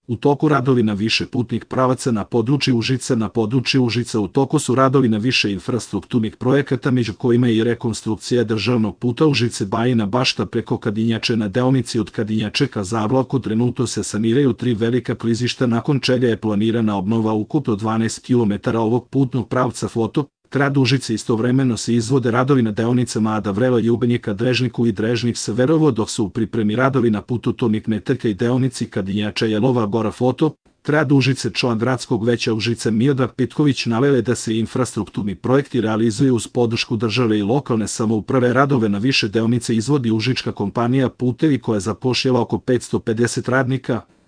U toku radovi na više putnih pravaca na području Užica. Na području Užica u toku su radovi na više infrastrukturnih projekata, među kojima je i rekonstrukcija državnog puta Užice-Bajina Bašta preko Kadinjače na deonici od Kadinjače ka Zablaku. Trenutno se saniraju 3 velika klizišta, nakon čega je planirana obnova ukupno 12 km ovog putnog pravca. Foto grad Užice. Istovremeno se izvode radovi na deonicama Ada Vrela i Ubenjika Drežniku i Drežnik-Severovo, dok su u pripremi radovi na putu Tonik Meterka i deonici Kadinjača Jelova Gora. Foto grad Užice. Član gradskog veća Užice Miodrag Petković naveo je da se infrastrukturni projekti realizuju uz podršku države i lokalne samouprave. Radove na više deonice izvodi užička kompanija Putevi, koja zapošljava oko 550 radnika.